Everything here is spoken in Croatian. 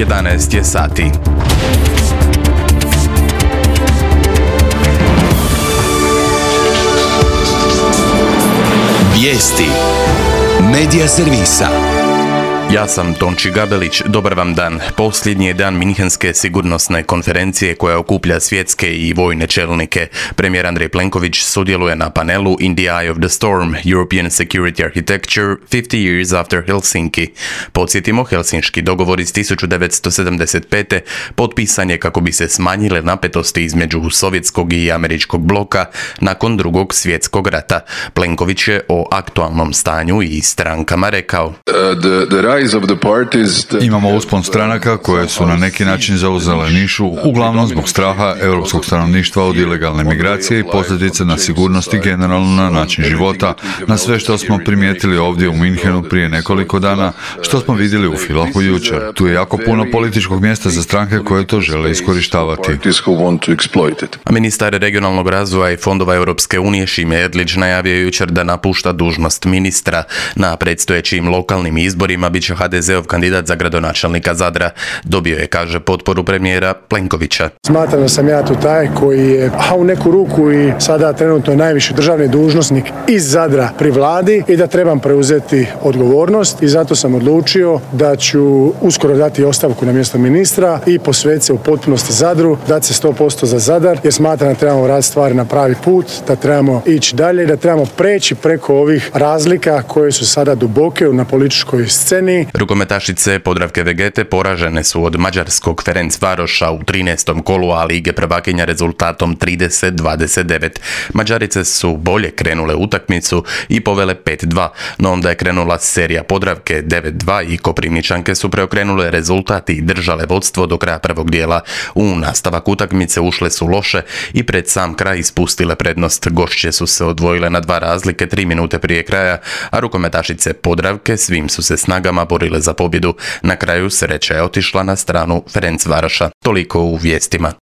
11 je sati. Vijesti Medija servisa. Ja sam Tonči Gabelić, dobar vam dan. Posljednji je dan Minhenske sigurnosne konferencije koja okuplja svjetske i vojne čelnike. Premijer Andrej Plenković sudjeluje na panelu In the Eye of the Storm, European Security Architecture 50 Years After Helsinki. Podsjetimo, helsinški dogovor iz 1975. potpisan je kako bi se smanjile napetosti između sovjetskog i američkog bloka nakon Drugog svjetskog rata. Plenković je o aktualnom stanju i strankama rekao: Imamo uspon stranaka koje su na neki način zauzele nišu, uglavnom zbog straha europskog stanovništva od ilegalne migracije i posljedice na sigurnost i generalno na način života, na sve što smo primijetili ovdje u Minhenu prije nekoliko dana, što smo vidjeli u Villach jučer. Tu je jako puno političkog mjesta za stranke koje to žele iskorištavati. A ministar regionalnog razvoja i fondova Europske unije Šime Erlić najavio jučer da napušta dužnost ministra. Na predstojećim lokalnim izborima bit će HDZ-ov kandidat za gradonačelnika Zadra. Dobio je, kaže, potporu premijera Plenkovića. Smatram da sam ja tu taj koji je, u neku ruku i sada trenutno najviši državni dužnosnik iz Zadra pri vladi i da trebam preuzeti odgovornost i zato sam odlučio da ću uskoro dati ostavku na mjesto ministra i posvetiti se u potpunosti Zadru, dati se 100% za Zadar, jer smatram da trebamo raditi stvari na pravi put, da trebamo ići dalje i da trebamo preći preko ovih razlika koje su sada duboke na političkoj sceni. Rukometašice Podravke Vegete poražene su od mađarskog Ferencvaroša u 13. kolu A lige prvakinja rezultatom 30-29. Mađarice su bolje krenule utakmicu i povele 5-2, no onda je krenula serija Podravke 9-2 i Koprivničanke su preokrenule rezultat i držale vodstvo do kraja prvog dijela. U nastavak utakmice ušle su loše i pred sam kraj ispustile prednost. Gošće su se odvojile na 2 razlike 3 minute prije kraja, a rukometašice Podravke svim su se snagama borile za pobjedu. Na kraju sreća je otišla na stranu Ferencvaroša. Toliko u vijestima.